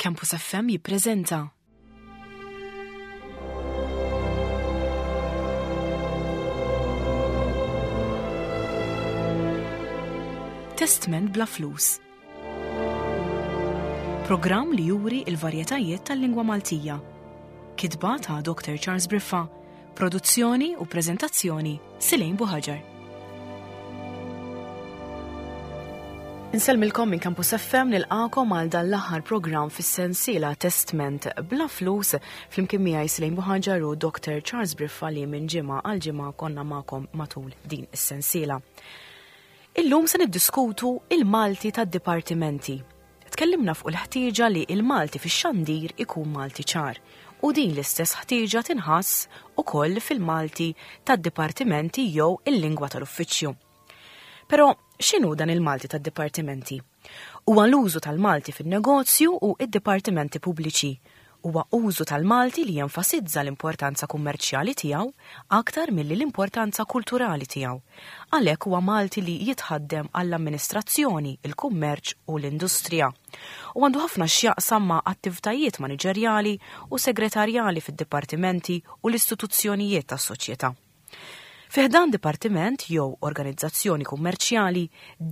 Campus FM jippreżenta. Testment bla flus. Programm li juri il-varjetajiet tal-lingwa Maltija. Kitba ta' Dr. Charles Briffa, produzzjoni u preżentazzjoni Silejn Buħaġar. Insellmilkom minn Campus FM nilqakom għal dan l-aħħar programm fis-sensiela Testment bla flus flimkien miegħi Silejn Buħaġar u Dr. Charles Briffa li minn ġimgħa għal ġimgħa konna magħkom matul din is-sensiela. Illum se niddiskutu il-Malti tad-dipartimenti. Tkellimna fuq il-ħtieġa li il-Malti fix-xandir ikun Malti ċar u din l-istess ħtieġa tinħass ukoll fil-Malti tad-dipartimenti jew il-lingwa tal-uffiċċju. Però x'inhu dan il-Malti tad-dipartimenti? Huwa l-użu tal-Malti fin-negozju u id-dipartimenti pubbliċi Huwa użu tal-Malti li jenfasizza l-importanza kummerċjali tiegħu aktar milli l-importanza kulturali tiegħu. Għalhekk huwa Malti li jitħaddem għall-amministrazzjoni, il-kummerċ u l-industrija. U għandu ħafna x'jaqsam ma' attivtajiet maniġerjali u segretarjali fid-dipartimenti u l-istituzzjonijiet tas-soċjetà. Fi ħdan dipartiment jew organizzazzjoni kummerċjali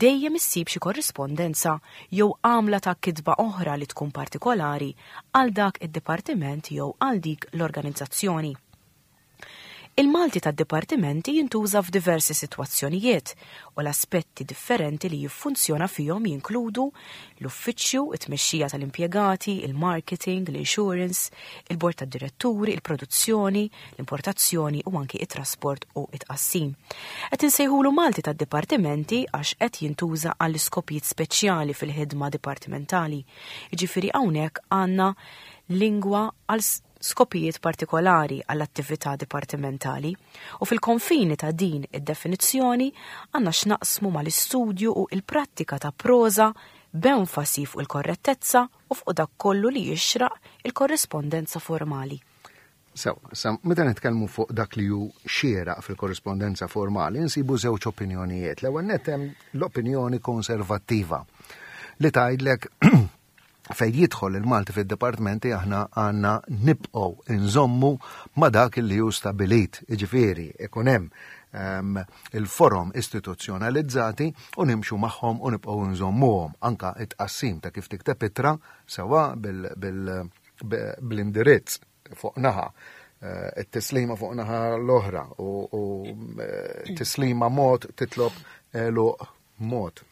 dejjem issib xi korrispondenza jew għamla ta' kitba oħra li tkun partikolari għal dak id-dipartiment jew għal dik l-organizzazzjoni. Il-Malti tad-dipartimenti jintuża f'diversi sitwazzjonijiet u l-aspetti differenti li jiffunzjona fihom jinkludu l-uffiċċju, it-tmexxija tal-impjegati, il-marketing, l-insurance, il-bord tad-diretturi, il-produzzjoni, l-importazzjoni u anki it-trasport u it-tqassim. Qed insejħulu Malti tad-dipartimenti għax qed jintuża għall iskopijiet speċjali fil-ħidma dipartimentali. Jiġifieri hawnhekk għandna lingwa għal skopijiet partikolari għall-attività dipartimentali u fil-konfini ta' din id-definizzjoni għandna x'naqsmu mal-istudju u il-prattika ta' proża b'enfasi fuq il-korrettezza u fuq dak kollu li jixraq il-korrispondenza formali. Sew, sa meta nitkellmu fuq dak li hu xieraq fil-korrispondenza formali, nsibu żewġ opinjonijiet. L-ewwel nett hemm l-opinjoni konservattiva li tgħidlek fejn jidħol il-Malti fid-dipartimenti aħna għandna nibqgħu nżommu ma dak li hu stabilit, jiġifieri ikun hemm ehm, il-forom istituzzjonalizzati u nimxu magħhom u nibqgħu nżommuhom anka it-tqassim ta' kif tikteb ittra sewa bil, bil bl-indirizz fuq naħa, eh, it-tislima fuq naħa l-oħra u eh, tislima mod titlob eluq mod.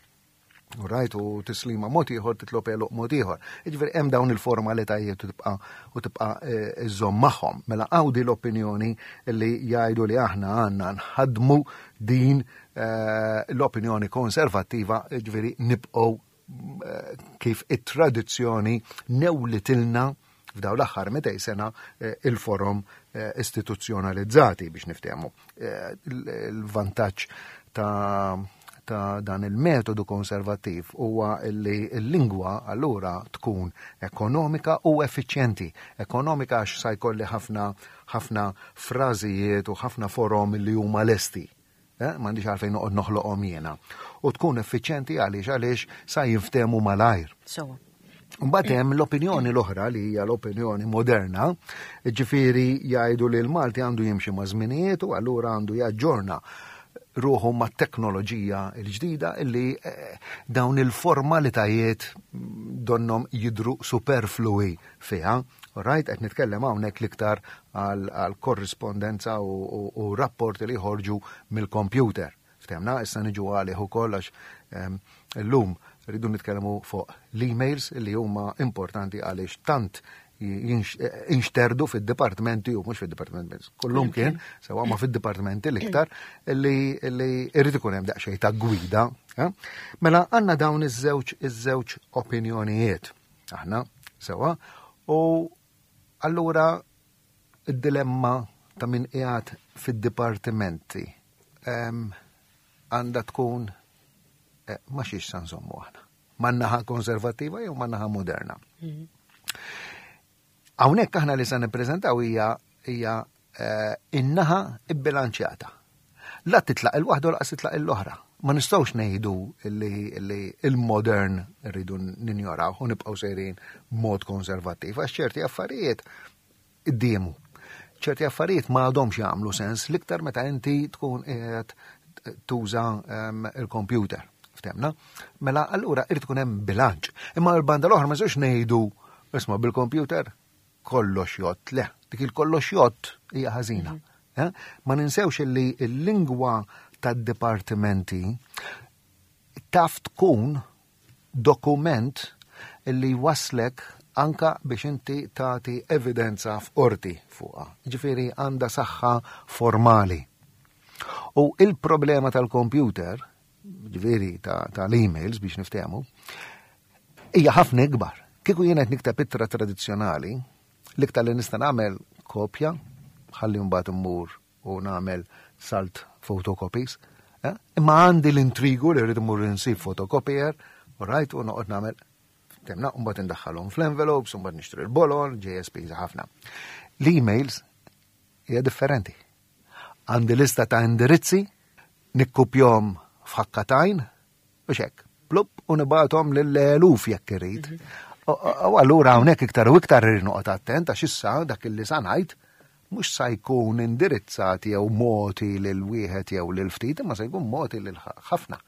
U rajt u tislima mod ieħor titlob eluq mod ieħor. Jiġifieri hemm dawn il-formalitajiet u tibqa' u tibqa' eh, iżżomm magħhom. Mela għawdi l-opinjoni li jgħidu li aħna għandna nħadmu din l-opinjoni konservattiva, jiġifieri nibqgħu kif it-tradizzjoni newlitilna f'daw l-aħħar 200 sena eh, il-forom eh, istituzzjonalizzati biex niftehmu. Eh, il-vantaġġ ta' ta' dan il-metodu konservattiv huwa li l-lingwa allura tkun ekonomika u effiċjenti. Ekonomika għax sa jkolli ħafna ħafna frażijiet u ħafna forom li huma lesti. Eh, m'għandix għalfejn noqgħod noħloqhom jiena. U tkun effiċjenti għaliex għaliex sa jinftehmu malajr. Sewa. Mbagħad hemm l-opinjoni l-oħra li hija l-opinjoni moderna, ġifieri jgħidu li l-Malti għandu jimxi ma' żminijiet u allura għandu jaġġorna ruħu ma' teknoloġija l-ġdida illi eh, dawn il-formalitajiet donnom jidru superflui fiha. Right, qed nitkellem hawnhekk l-iktar għal korrispondenza u rapporti li jħorġu mill-kompjuter. Ftemna, issa niġu għalih ukoll għax ehm, illum rridu nitkellmu fuq l-emails li huma importanti għaliex tant inxterdu fid-dipartimenti u mhux fid-dipartimenti kullum kien sewa ma fid-dipartimenti l-iktar li irrid ikun hemm daqsxejn ta' gwida. Eh? Mela għandna dawn iż-żewġ iż-żewġ opinjonijiet. Aħna, sewa, u allura id-dilemma ta' min qiegħed fid-dipartimenti għandha tkun eh, ma xiex sa nżommu aħna. Ma naħa konservattiva jew ma naħa moderna. Mhm. Hawnhekk aħna li se nippreżentaw hija hija eh, in-naħa bbilanċjata. La titlaq il-waħda u laqas titlaq l-oħra. Ma nistgħux ngħidu li il-modern rridu ninjoraw u nibqgħu sejrin mod konservattiv għax ċerti affarijiet iddiemu. Ċerti affarijiet ma għadhomx jagħmlu sens l-iktar meta inti tkun qiegħed tuża ehm, il-computer. Ftemna? Mela allura irid tkun hemm bilanċ. Imma l-banda l-oħra ma nistgħux ngħidu isma' bil-computer kollox jott. Le, dik il-kollox jott hija ħażina. Mhm. Eh? Ma ninsewx li l-lingwa tad-dipartimenti taf tkun dokument li waslek anka biex inti tagħti evidenza f'qorti fuqha. Ġifieri għandha saħħa formali. U il-problema tal-computer, ġifieri tal-emails biex niftehmu, hija ħafna ikbar. Kieku jien qed nikteb ittra tradizzjonali, l-iktar li nista' nagħmel kopja, ħalli mbagħad immur u nagħmel salt photocopies. Eh? Imma għandi l-intrigu li rrid immur insib photocopier, u rajt u noqgħod nagħmel temna, u mbagħad indaħħalhom fl-envelopes, u mbagħad nixtri l-bolol, ġejja spiża ħafna. L-emails hija differenti. Għandi lista ta' indirizzi, nikkupjhom f'ħakkatajn, U xek, plup u nibatom lill-eluf jekk irid. Mhm. U allura hawnhekk iktar u iktar irid noqgħod attent għax issa dak illi sa ngħid mhux sa jkun indirizzat jew moti lil wieħed jew lil ftit, imma se jkun moti lil ħafna.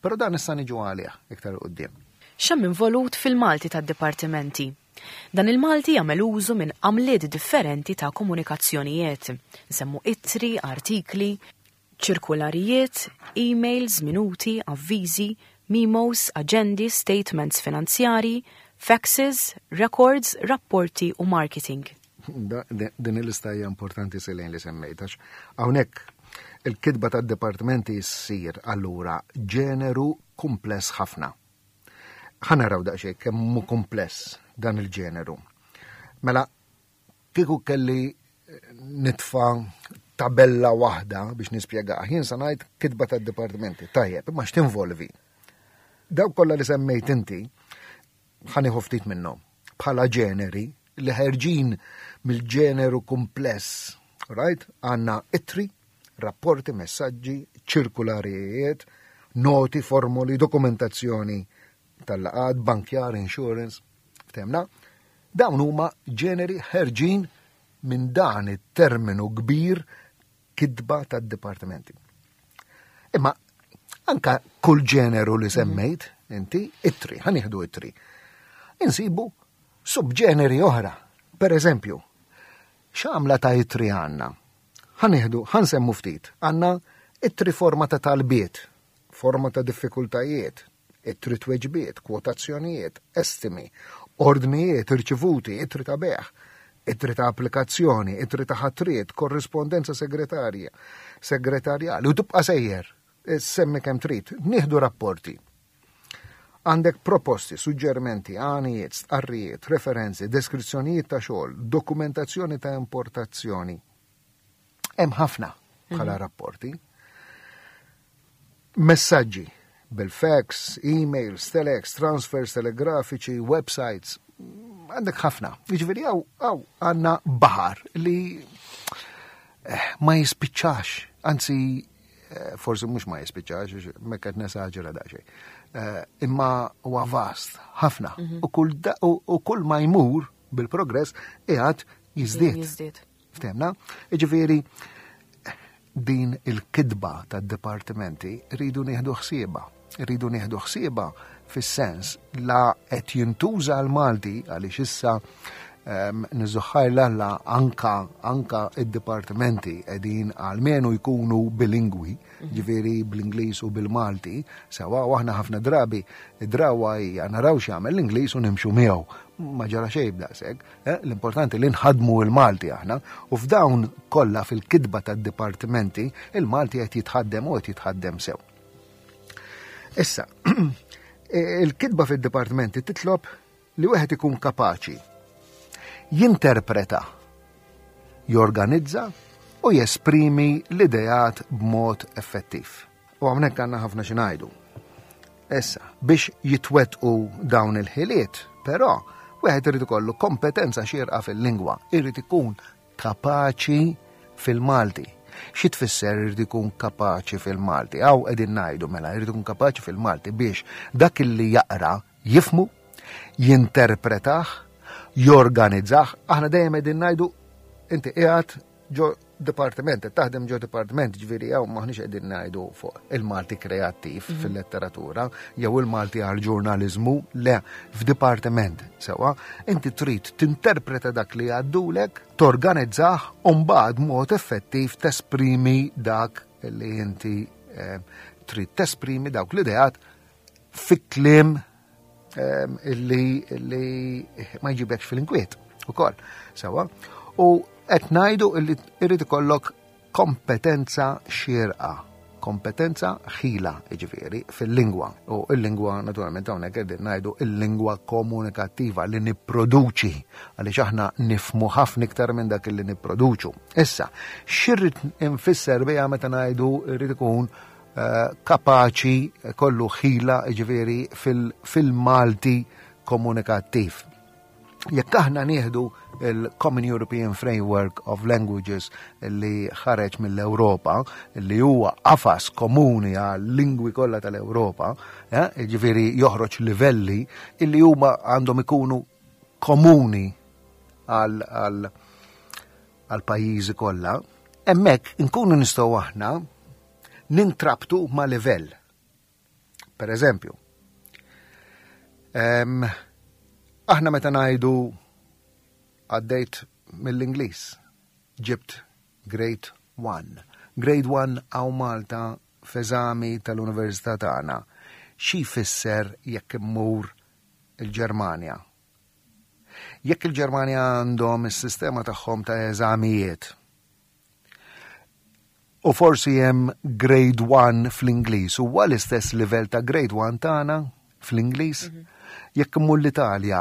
Però dan issa niġu għalih iktar quddiem. X'hemm involut fil-Malti tad-dipartimenti? Dan il-Malti jagħmel użu minn għamliet differenti ta' komunikazzjonijiet. Nsemmu ittri, artikli, ċirkularijiet, emails, minuti, avviżi, memos, aġendi, statements finanzjarji, faxes, records, rapporti u marketing. Din il-lista hija importanti Selene li semmejt għax hawnhekk il-kitba tad-dipartimenti ssir allura ġeneru kumpless ħafna. Ħa naraw daqsxejn kemm hu kumpless dan il-ġeneru. Mela Kieku kelli nitfa' tabella waħda biex nispjegah, jien sa ngħid kitba tad-dipartimenti. Tajjeb, imma x'tinvolvi? Dawk kollha li semmejt inti, ħanieħu ftit minnhom bħala ġeneri li ħerġin mill-ġeneru kumpless, right? Għandna ittri, rapporti, messaġġi, ċirkularijiet, noti, formoli, dokumentazzjoni tal-laqgħat, bankjar, insurance, ftemna. Dawn huma ġeneri ħerġin minn dan it-terminu kbir kitba tad-dipartimenti. Imma anka kull ġeneru li semmejt inti, ittri, ħanieħdu ittri. Insibu subġeneri oħra. Per eżempju, x'għamla ta' ittri għandna? Ħanieħdu, ħansemmu ftit, għandna ittri forma ta' talbiet, forma ta' diffikultajiet, ittri tweġbiet, kwotazzjonijiet, estimi, ordnijiet irċivuti, ittri ta' bejgħ, ittri ta' applikazzjoni, ittri ta' ħatriet, korrispondenza segretarja, segretarjali, u tibqa' sejjer, semmi kemm trid, nieħdu rapporti. Għandek proposti, suġġerimenti, għanijiet, stqarrijiet, referenzi, deskrizzjonijiet ta' xogħol, dokumentazzjoni ta' importazzjoni. Hemm ħafna bħala mhm. rapporti. Messaġġi bil-fax, emails, telex, transfers telegrafiċi, websites, għandek ħafna. Jiġifieri hawn hawn għandna baħar li eh, ma jispiċċax, anzi eh, forsi mhux ma jispiċċax, mekk qed nesaġera daqsxejn. Eh, imma huwa vast ħafna mhm. u kull ma jmur bil-progress qiegħed jiżdied. Ftemna? Jiġifieri din il-kitba tad-dipartimenti rridu nieħdu ħsiebha. Rridu nieħdu ħsiebha fis-sens la qed jintuża l-Malti għaliex issa ehm, niżuħħaj l-alla anka anka id-dipartimenti qegħdin għalmenu jkunu bilingwi, mhm. ġifieri bl-Ingliż u bil-Malti, sewa u aħna ħafna drabi id-drawa hija naraw x'jagħmel l-Ingliż u nimxu miegħu. Ma ġara xejn b'daqshekk. Eh, l-importanti li nħadmu il-Malti aħna u f'dawn kollha fil-kitba tad-dipartimenti il-Malti qed jitħaddem u qed jitħaddem sew. Issa, il-kitba fid-dipartimenti titlob li wieħed ikun kapaċi jinterpreta, jorganizza u jesprimi l-ideat b'mod effettiv. U hawnhekk għandna ħafna xi ngħidu. Issa, biex jitwettqu dawn il-ħiliet, però, wieħed irid ikollu kompetenza xierqa fil-lingwa, irid ikun kapaċi fil-Malti. Xi tfisser irid ikun kapaċi fil-Malti? Hawn qegħdin ngħidu mela jrid ikun kapaċi fil-Malti biex dak illi jaqra jifhmu, jinterpretah, jorganizzah. Aħna dejjem qegħdin ngħidu inti qiegħed ġo dipartiment, qed taħdem ġo dipartiment, ġifieri hawn maħniex qegħdin ngħidu fuq il-Malti kreattiv fil-letteratura jew il-Malti għal ġurnaliżmu, le, f'dipartiment sewwa, inti trid tinterpreta dak li jgħaddulek, torganizzah u mbagħad mod effettiv tesprimi dak li inti eh, trid tesprimi dawk l-ideat fi kliem ehm, illi, illi ma jġibekx fil-inkwiet ukoll. Sewwa. U qed ngħidu illi irid ikollok kompetenza xierqa, kompetenza ħila jiġifieri fil-lingwa. U l-lingwa naturalment hawnhekk qegħdin ngħidu l-lingwa komunikattiva li nipproduċi għaliex aħna nifhmu ħafna iktar minn dak li nipproduċu. Issa, x'irrid infisser biha meta ngħidu rrid ikun eh, kapaċi kollu ħila jiġifieri fil-Malti komunikattiv. Jekk aħna nieħdu il-Common European Framework of Languages li ħareġ mill-Ewropa, li huwa qafas komuni għal lingwi kollha tal-Ewropa, eh, jiġifieri joħroġ livelli illi huma għandhom ikunu komuni għal għal pajjiżi kollha, hemmhekk inkunu nistgħu aħna nintrabtu ma' livell. Per eżempju, aħna meta ngħidu għaddejt mill-Ingliż, ġibt grade 1. Grade 1 hawn Malta f'eżami tal-Università tagħna. Xi jfisser jekk immur il-Ġermanja? Jekk il-Ġermanja għandhom is-sistema tagħhom ta' eżamijiet, U forsi hemm grade 1 fl-Ingliż, huwa l-istess livell ta' grade 1 tagħna fl-Ingliż? Mhm. Jekk immur l-Italja,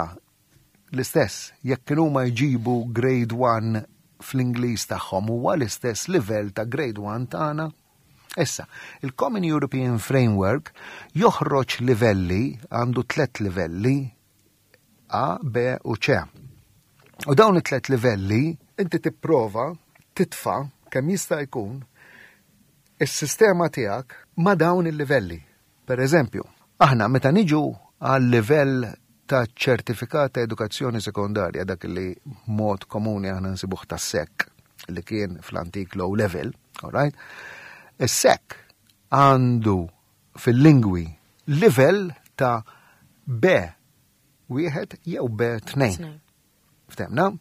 l-istess, jekk kienu ma jġibu grade 1 fl-Ingliż tagħhom huwa l-istess livell ta' grade 1 tagħna? Issa, il-Common European Framework joħroġ livelli, għandu tlet livelli, A, B u C. U dawn it-tlet livelli inti tipprova titfa' kemm jista' jkun is-sistema tiegħek ma' dawn il-livelli. Per eżempju, aħna meta niġu għal livell ta' ċertifikat ta' edukazzjoni sekondarja dak li mod komuni aħna nsibuh ta' SEC li kien fl-antik low level, all right? Is-SEC għandu fil-lingwi livell ta' B wieħed jew B tnejn. Ftemna?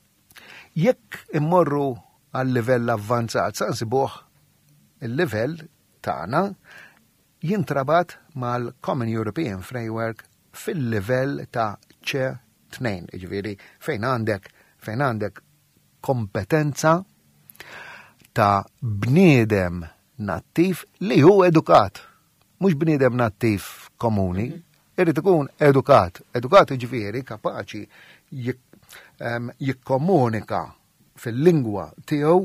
Jekk immorru għal livell avvanzat sa nsibuh il-livell tagħna jintrabat mal-Common European Framework fil-livell ta' C2, jiġifieri fejn għandek fejn għandek kompetenza ta' bniedem nattiv li hu edukat. Mhux bniedem nattiv komuni, mhm. irid ikun edukat. Edukat jiġifieri kapaċi jikkomunika fil-lingwa tiegħu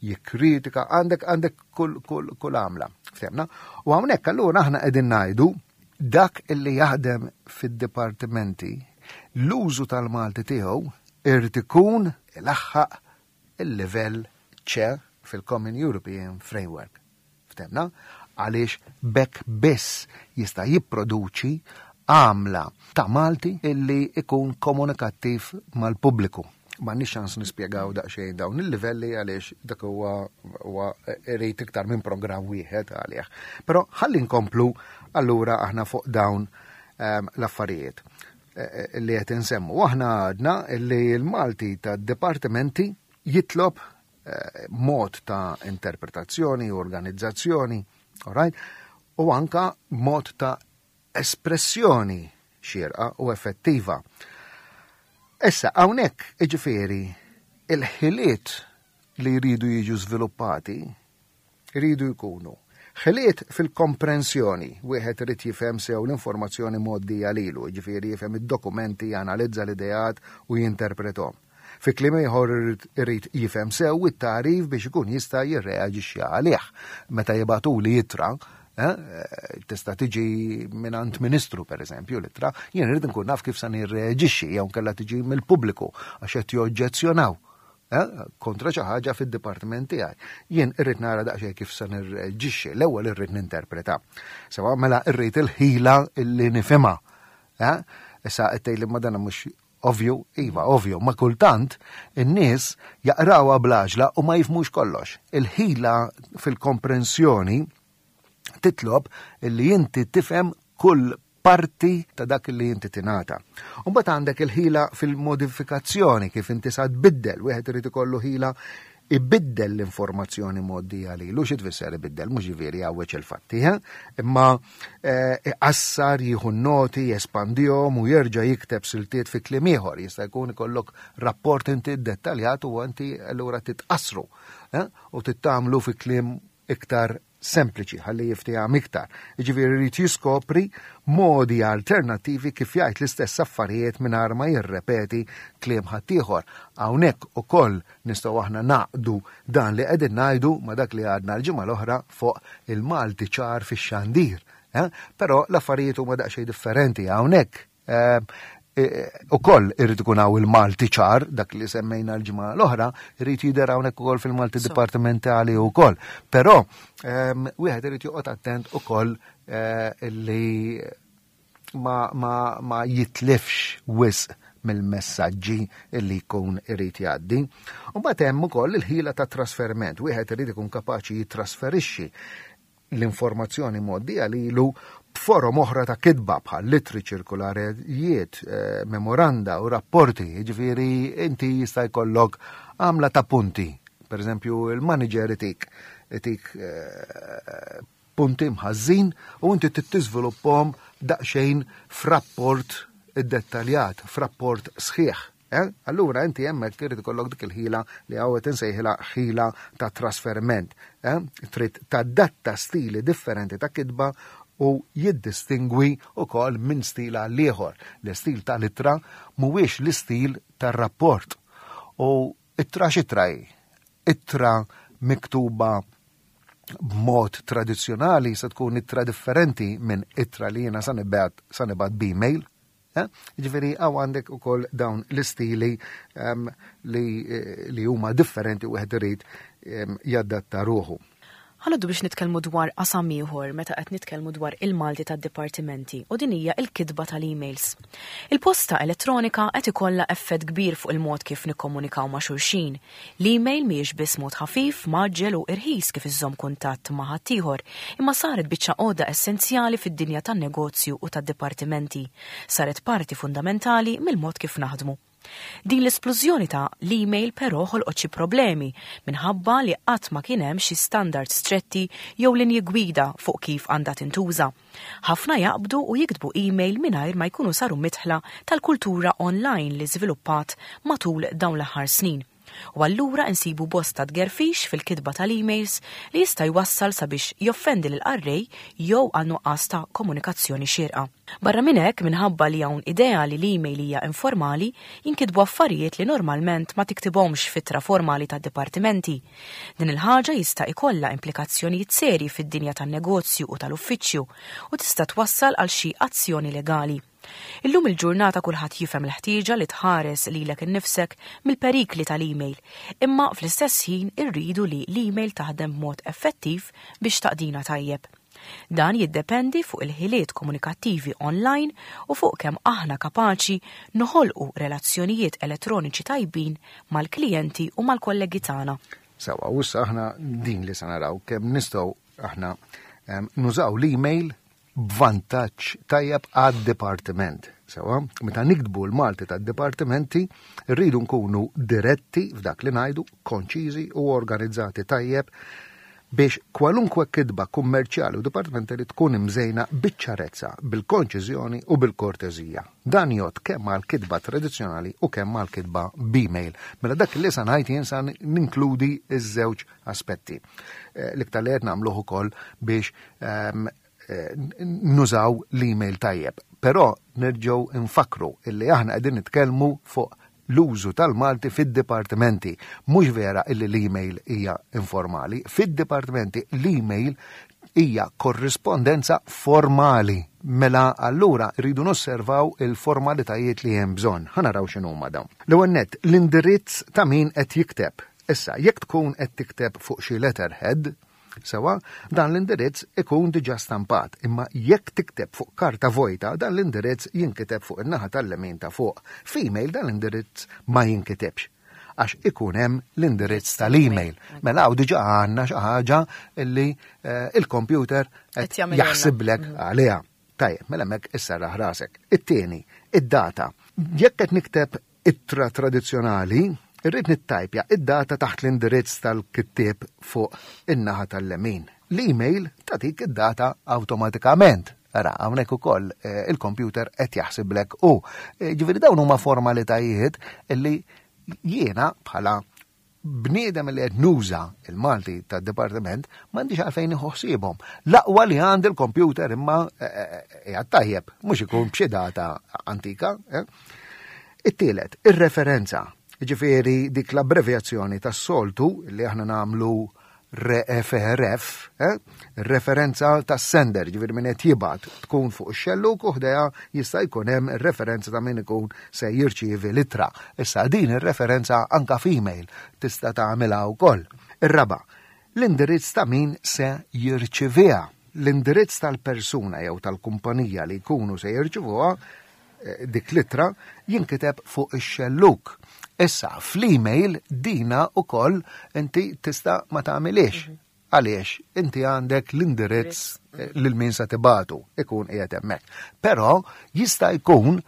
jikkritika għandek għandek kull kull kull għamla. Ftemna? U hawnhekk allura aħna qegħdin ngħidu dak illi jaħdem fid-dipartimenti l-użu tal-Malti tiegħu irid ikun ilaħħaq il-livell C fil-Common European Framework. Ftemna? Għaliex b'hekk biss jista' jipproduċi għamla ta' Malti illi ikun komunikattiv mal-pubbliku. M'għandniex ċans nispjegaw daqsxejn dawn il-livelli għaliex dak huwa huwa irid iktar minn programm wieħed għalih. Però ħalli nkomplu allura aħna fuq dawn ehm, l-affarijiet. Eh, eh, li qed insemmu. Aħna għadna li l-Malti ta' dipartimenti jitlob eh, mod ta' interpretazzjoni, organizzazzjoni, all right? u anka mod ta' espressjoni xierqa u effettiva. Issa, hawnhekk iġifieri il-ħiliet li jridu jiġu żviluppati Iridu jkunu ħiliet fil-komprensjoni, wieħed irid jifhem sew l-informazzjoni mgħoddija lilu, jiġifieri jifhem id-dokumenti, janalizza l-ideat u jinterprethom. Fi kliem ieħor irid jifhem sew it-tagħrif biex ikun jista' jirreaġixxi għalih. Meta jibagħtuli ittra, eh, tista' tiġi mingħand ministru pereżempju l-ittra, jien irid nkun naf kif se nirreaġixxi jew nkella tiġi mill-pubbliku għax qed joġġezzjonaw. eh, kontra xi ħaġa fid-dipartiment tiegħi. Jien irrid nara daqsxejn kif se nirreġixxi, l-ewwel irrid ninterpreta. Sewa mela irrid il-ħila illi nifhimha. Eh? Issa qed tgħidli ma dan mhux ovvju, iva, ovvju, ma kultant in-nies jaqrawha bl-għaġla u ma jifhmux kollox. Il-ħila fil-komprensjoni titlob li inti tifhem kull parti ta' dak li inti tingħata. U mbagħad għandek il-ħila fil-modifikazzjoni kif inti sa tbiddel, wieħed irid ikollu ħila ibiddel l-informazzjoni mgħoddija lilu, xi tfisser ibiddel, mhux ġifieri jgħawweġ il-fatti, eh? imma eh, iqassar, jieħu noti, jespandihom u jerġa' jikteb siltiet fi kliem ieħor. Jista' jkun ikollok rapport inti dettaljat u inti allura titqassru eh? u tittamlu fi kliem iktar sempliċi ħalli jiftiehem iktar. Jiġifieri jrid jiskopri modi alternattivi kif jgħid l-istess affarijiet mingħajr ma jirrepeti kliem ħaddieħor. Hawnhekk ukoll nistgħu aħna naqdu dan li qegħdin ngħidu ma' dak li għadna l-ġimgħa l-oħra fuq il-Malti ċar fix-xandir. Eh? Però l-affarijiet huma daqsxejn differenti hawnhekk. Eh, eh, ukoll irid ikun hawn il-Malti ċar, dak li semmejna l-ġimgħa l-oħra, irid jidher hawnhekk ukoll fil-Malti dipartimentali wkoll. Però ehm, wieħed irid joqgħod attent ukoll eh, li ma, ma, ma jitlifx wisq mill-messaġġi li jkun irid jgħaddi. U mbagħad hemm ukoll il-ħila ta' trasferiment. Wieħed irid ikun kapaċi jitrasferixxi l-informazzjoni mgħoddija lilu b'forom oħra ta' kitba bħal litri ċirkularijiet, eh, memoranda u rapporti, jiġifieri inti jista' jkollok għamla ta' punti. Per eżempju, il-manager itik itik eh, punti mħażin u inti tittiżviluppahom daqsxejn f'rapport iddettaljat, f'rapport sħiħ. Eh? Allura inti hemmhekk irid ikollok dik il-ħila li hawn qed insejħilha ħila ta' trasferiment. Eh? Trid tadatta stili differenti ta' kitba u jiddistingwi wkoll minn stil għal ieħor. L-istil tal-ittra mhuwiex l-istil tar-rapport. U ittra x'ittra hi? Ittra miktuba b'mod tradizzjonali se tkun ittra differenti minn ittra li jiena sa nibgħat b'email. Eh? Ġifieri hawn għandek ukoll dawn l-istili ehm, li, eh, li huma differenti u wieħed irid ehm, jadatta ruħu. Ħanoddu biex nitkellmu dwar qasam ieħor meta qed nitkellmu dwar il-Malti tad-dipartimenti u din hija l-kitba tal-emails. Il-posta elettronika qed ikollha effett kbir fuq il-mod kif nikkomunikaw ma' xulxin. L-email mhijiex biss mod ħafif, mgħaġġel u irħis kif iżżomm kuntatt ma' ħaddieħor, imma saret biċċa għodda essenzjali fid-dinja tan-negozju u tad-dipartimenti. Saret parti fundamentali mill-mod kif naħdmu. Din l-isplużjoni ta' l-email però ħolqot xi problemi minħabba li qatt ma kien hemm xi standards stretti jew linji gwida fuq kif għandha tintuża. Ħafna jaqbdu u jiktbu email mingħajr ma jkunu saru midħla tal-kultura online li żviluppat matul dawn l-aħħar snin. U allura insibu bosta tgerfix fil-kitba tal-emails li jista' jwassal sabiex joffendi lill-qarrej jew għal nuqqas ta' komunikazzjoni xierqa. Barra minn hekk, minħabba li hawn idea li l-email hija informali, jinkitbu affarijiet li normalment ma tiktibhomx f'ittra formali tad-dipartimenti. Din il-ħaġa jista' ikollha implikazzjonijiet serji fid-dinja tan-negozju u tal-uffiċċju u tista' twassal għal xi azzjoni legali. Illum il-ġurnata kulħadd jifhem l-ħtieġa li tħares lilek innifsek mill-perikli tal-email, imma fl-istess ħin irridu li l-email taħdem b'mod effettiv biex taqdina tajjeb. Dan jiddependi fuq il-ħiliet komunikattivi online u fuq kemm aħna kapaċi noħolqu relazzjonijiet elettroniċi tajbin mal-klijenti u mal-kollegi tagħna. Sewwa, u issa aħna din li se naraw kemm nistgħu aħna ehm, nużaw l-email b'vantaġġ tajjeb għad-dipartiment. Sewa, meta niktbu l-Malti tad-dipartimenti, rridu nkunu diretti f'dak li ngħidu, konċiżi u organizzati tajjeb biex kwalunkwe kitba kummerċjali u dipartimentali tkun imżejna biċ-ċarezza, bil-konċiżjoni u bil-korteżija. Dan jgħodd kemm għal kitba tradizzjonali u kemm għal kitba b'email. Mela dak li sa ngħid jien sa ninkludi ż-żewġ aspetti. Eh, l-iktar li qed nagħmluh ukoll biex ehm, eh, nużaw l-email tajjeb. Però nerġgħu nfakru illi aħna qegħdin nitkellmu fuq l-użu tal-Malti fid-dipartimenti. Mhux vera illi l-email hija informali. Fid-dipartimenti l-email Hija korrispondenza formali. Mela allura rridu nosservaw il-formalitajiet li hemm bżonn. Ħa naraw x'inhuma dawn. L-ewwel nett, l-indirizz ta' min qed jikteb. Issa, jekk tkun qed tikteb fuq xi letterhead, sewa, dan l-indirizz ikun diġà stampat, imma jekk tikteb fuq karta vojta, dan l-indirizz jinkiteb fuq in-naħa tal-lemin ta' fuq. F'email dan l-indirizz ma jinkitibx għax ikun hemm l-indirizz tal-email. Mela hawn diġà għandna xi ħaġa li eh, il-computer qed jaħsiblek mm. għaliha. Tajjeb, mela hemmhekk isserraħ rasek. It-tieni, id-data. Jekk qed nikteb ittra tradizzjonali, irrid nittajpja id-data taħt l-indirizz tal-kittieb fuq in-naħa tal-lemin. L-email tagħtik id-data awtomatikament. Ara, hawnhekk ukoll eh, il-computer qed jaħsiblek u. Eh, ġifieri dawn huma formalitajiet li jiena bħala bniedem li qed nuża il-Malti tad-dipartiment m'għandix għalfejn nieħu ħsiebhom. L-aqwa li għandi l-kompjuter imma eh, eh, eh, qiegħed tajjeb, mhux ikun b'xi data antika. It-tielet, ir-referenza. Ġifieri dik l-abbrevjazzjoni tas-soltu li aħna nagħmlu RFRF, eh? referenza tas sender, ġifieri min qed jibgħat tkun fuq ix-xelluk u ħdejha jista' jkun hemm referenza ta' min ikun se jirċievi l-ittra. Issa din ir-referenza anka f'email tista' tagħmilha wkoll. Ir-raba', l-indirizz ta' min se jirċiviha. L-indirizz tal-persuna jew tal-kumpanija li jkunu se jirċivuha eh, dik l-ittra jinkiteb fuq ix-xelluk. Issa, fl-email dina ukoll inti tista' ma tagħmilix. Mhm. Għaliex inti għandek l-indirizz eh, lil min se tibatu ikun qiegħed hemmhekk. Però jista' jkun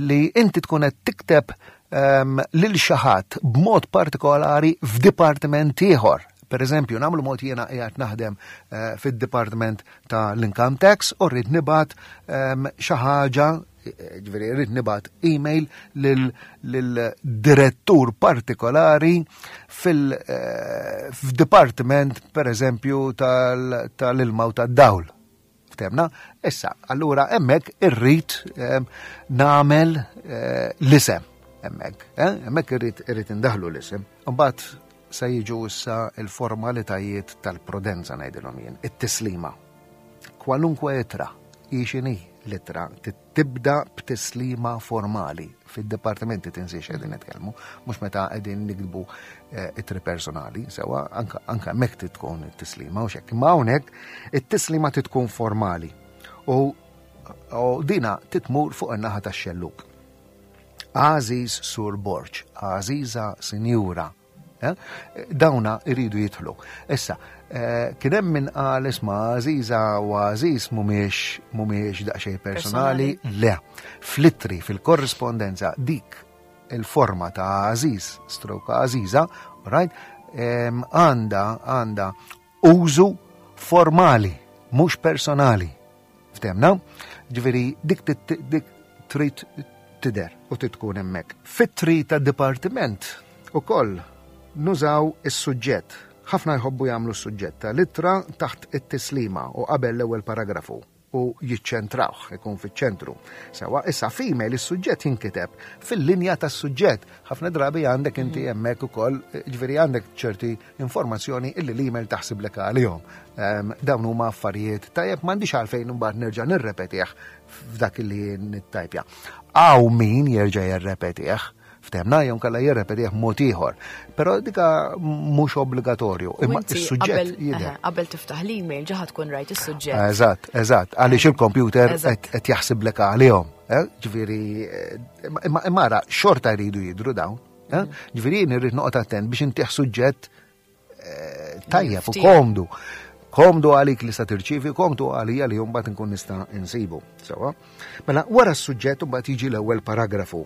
li inti tkun qed tikteb um, lil xi ħadd b'mod partikolari f'dipartiment ieħor. Per eżempju, nagħmlu mod jiena qiegħed naħdem uh, fid-dipartiment ta' l-income tax u rrid nibgħat ehm, xi ħaġa ġifieri rrid nibgħat email lil-direttur partikolari fil-dipartiment eh, per eżempju tal-ilma u tad-dawl. Ftemna? Issa, allura hemmhekk irrid ehm, nagħmel eh, l-isem hemmhekk, eh? hemmhekk irrid irrid indaħlu l-isem. Imbagħad se jiġu issa l-formalitajiet tal-prudenza ngħidilhom jien, it-tislima. Kwalunkwe ittra, hi x'inhi l-ittra, tibda b'tislima formali fid-dipartimenti tinsiex qegħdin nitkellmu, mhux meta qegħdin nikdbu eh, ittri personali, sewa anka hemmhekk trid tkun it-tislima u xekk. Imma hawnhekk it-tislima trid tkun formali u dina titmur fuq in-naħa tax-xelluk. Għażiż Sur Borg, għażiża Sinjura, eh? dawna iridu jidħlu. Issa, eh, kien hemm min qal isma' għażiża u għażiż mhumiex mhumiex daqsxejn personali, le. Fl-ittri, fil-korrispondenza dik il-forma ta' għażiż, stroke għażiża, right, għanda għanda użu formali, mhux personali. Ftemna? Ġifieri dik dik trid tidher u trid tkun hemmhekk. Fit-tri ta' dipartiment ukoll nużaw is-suġġett. Ħafna jħobbu jagħmlu s-suġġett tal-ittra taħt it-tislima u qabel l-ewwel paragrafu. u jiċċentrawh, ikun fiċ-ċentru. Sewa, issa f'email is-suġġett jinkiteb fil-linja tas-suġġett. Ħafna drabi għandek inti mm. hemmhekk ukoll, ġifieri għandek ċerti informazzjoni illi l-email taħsiblek għalihom. Ehm, dawn huma affarijiet tajjeb m'għandix għalfejn imbagħad nerġa' nirrepetih f'dak li nittajpja. Hawn min jerġa' jirrepetih Ftemna jew kalla jirrepetih mod ieħor. Però dika mhux obbligatorju, imma is-suġġett jidher. Qabel tiftaħ l-email ġaħa tkun rajt is-suġġett. Eżatt, eżatt, għaliex il-kompjuter qed jaħsiblek għalihom. Eh? Ġifieri, eh, imma ara xorta jridu jidru dawn. Eh? Mm. Ġifieri jien irrid noqgħod attent biex intih suġġett tajjeb u komdu. Komdu għalik li sa tirċivi, komdu għalija li mbagħad nkun nista' insibu. Sewa. Mela wara s-suġġett mbagħad jiġi l-ewwel paragrafu.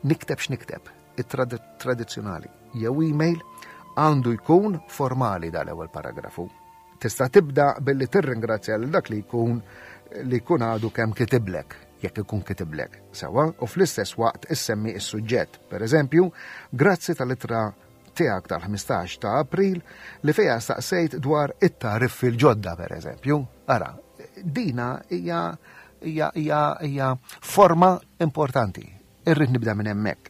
Nikteb x'nikteb, it-tradizzjonali jew email għandu jkun formali dal-ewwel paragrafu. Tista' tibda billi tirringrazzja lil dak li jkun li jkun għadu kemm kitiblek, jekk ikun kitiblek, sewwa, u fl-istess waqt issemmi s-suġġett. Per eżempju, grazzi tal-ittra tiegħek tal-15 ta' April li fiha staqsejt dwar it-tariffi l-ġodda, per eżempju. Ara, dina hija hija hija hija forma importanti. Irrid nibda minn hemmhekk.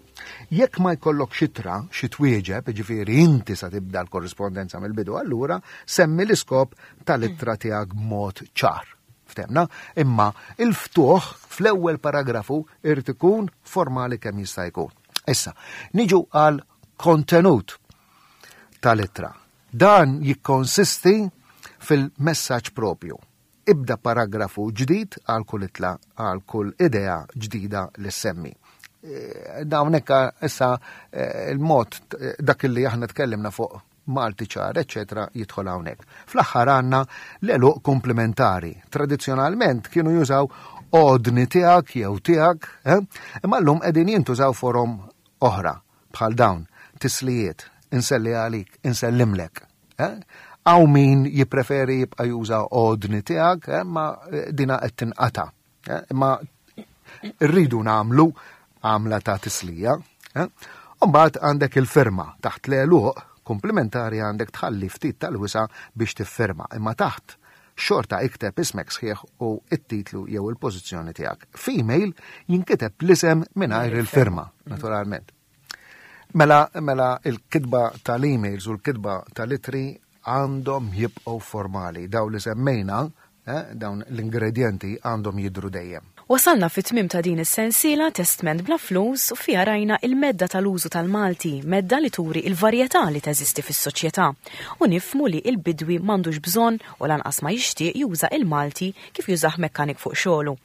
Jekk ma jkollok xitra, xi twieġeb, ġifieri inti sa tibda l-korrispondenza mill-bidu, allura semmi l-iskop tal-ittra tiegħek b'mod ċar. Ftemna, imma il-ftuħ fl-ewwel paragrafu irid ikun formali kemm jista' jkun. Issa, niġu għal kontenut tal-ittra. Dan jikkonsisti fil-messaġġ propju. Ibda paragrafu ġdid għal kull itla, għal kull idea ġdida li semmi. Eh, dawn hekk issa eh, il-mod eh, dak li aħna tkellimna fuq Malti ċar, eċetera, jidħol hawnhekk. Fl-aħħar għandna l-eluq komplementari. Tradizzjonalment kienu jużaw odni tiegħek jew tiegħek, imma llum qegħdin jintużaw forom oħra bħal dawn, tislijiet, inselli għalik, insellimlek. Eh? Hawn min jippreferi jibqa' juża odni tiegħek, eh, ma eh, dina qed tinqata. Imma rridu nagħmlu għamla ta' tislija. Umbagħad għandek il-firma taħt l-għeluq komplementari għandek tħalli ftit tal-wisa biex tiffirma, imma taħt xorta ikteb ismek sħiħ u it-titlu jew il-pożizzjoni tiegħek. F'email jinkiteb l-isem mingħajr il-firma, naturalment. Mela, mela il-kitba tal-emails u l-kitba tal-itri għandhom jibqgħu formali. Daw li semmejna, eh, dawn l-ingredienti għandhom jidru dejjem. Wasalna fit-tmiem ta' din is-sensiela Testment bla flus u fiha rajna il-medda tal-użu tal-Malti, medda li turi il-varjetà li teżisti fis-soċjetà u nifhmu li il-bidwi m'għandux bżonn u lanqas ma jixtieq juża il-Malti kif jużah mekkanik fuq xogħlu.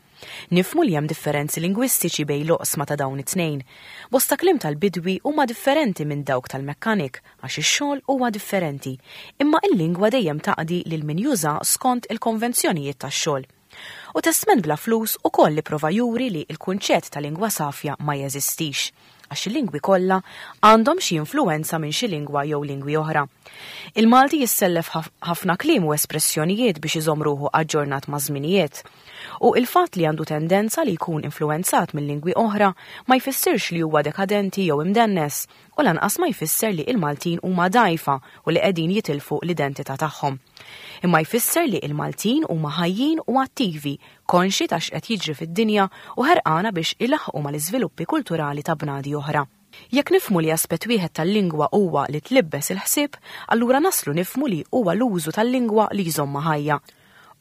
Nifhmu li hemm differenzi lingwistiċi bejn l-oqsma ta' dawn it-tnejn. Bosta kliem tal-bidwi huma differenti minn dawk tal-mekkanik għax ix-xogħol huwa differenti, imma il-lingwa dejjem taqdi lil min juża skont il-konvenzjonijiet tax-xogħol. U Testment bla flus ukoll ipprova juri li l-kunċett ta' lingwa safja ma jeżistix, għax il-lingwi kollha għandhom xi influwenza minn xi lingwa jew lingwi oħra. Il-Malti jissellef ħafna kliem u espressjonijiet biex iżomm ruħu aġġornat maż-żminijiet. U il-fatt li għandu tendenza li jkun influwenzat minn lingwi oħra ma jfissirx li huwa dekadenti jew imdennes, u lanqas ma jfisser li il-Maltin huma dgħajfa u li qegħdin jitilfu l-identità tagħhom. Imma jfisser li il-Maltin huma ħajjin u attivi, konxi ta' x'qed jiġri fid-dinja u ħerqana biex ilaħħqu mal-iżviluppi kulturali ta' bnadi oħra. Jekk nifhmu li aspett wieħed tal-lingwa huwa li tlibbes il-ħsieb, allura naslu nifhmu li huwa l-użu tal-lingwa li jżommha ħajja.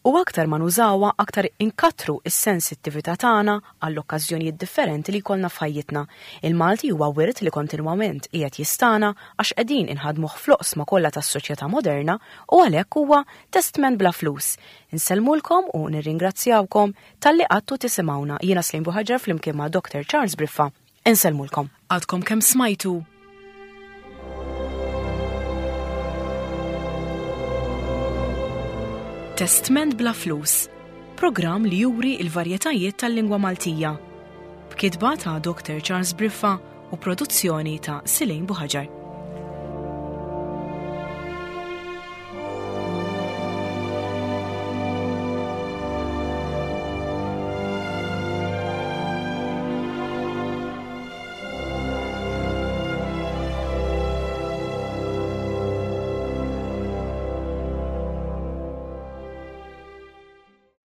U aktar ma nużawha aktar inkattru s-sensittività tagħna għall-okkażjonijiet differenti li jkollna f'ħajjitna. Il-Malti huwa wirt li kontinwament qiegħed jistana għax qegħdin inħadmuh fl-oqsma kollha tas-soċjetà moderna u għalhekk huwa testment bla flus. Insellmulkom u nirringrazzjawkom talli qgħadtu tisimgħuna. Jiena Slim Buħaġar flimkien ma' Dr. Charles Briffa. Insellmulkom. Għadkom kemm smajtu Testment bla flus, programm li juri il-varjetajiet tal-lingwa Maltija. B'kitba ta' Dr. Charles Briffa u produzzjoni ta' Silejn Buħaġar.